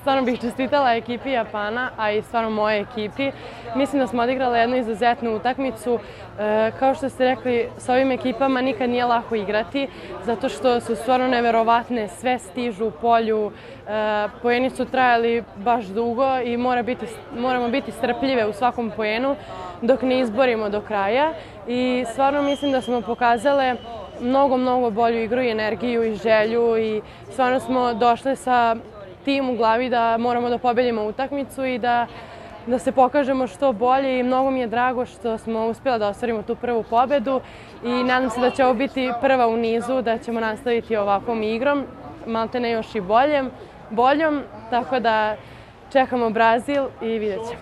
stvarno bih čestitala ekipi Japana, a i stvarno moje ekipi. Mislim da smo odigrali jednu izuzetnu utakmicu. Kao što ste rekli, s ovim ekipama nikad nije lako igrati, zato što su stvarno neverovatne, sve stižu u polju, poeni su trajali baš dugo i moramo biti strpljive u svakom poenu dok ne izborimo do kraja. I stvarno mislim da smo pokazale mnogo bolju igru i energiju i želju i stvarno smo došle sa tim u glavi da moramo da pobedimo utakmicu i da se pokažemo što bolje i mnogo mi je drago što smo uspjela da ostvarimo tu prvu pobedu i nadam se da će ovo biti prva u nizu, da ćemo nastaviti ovakvom igrom, maltene još i boljom, tako da čekamo Brazil i vidjet ćemo.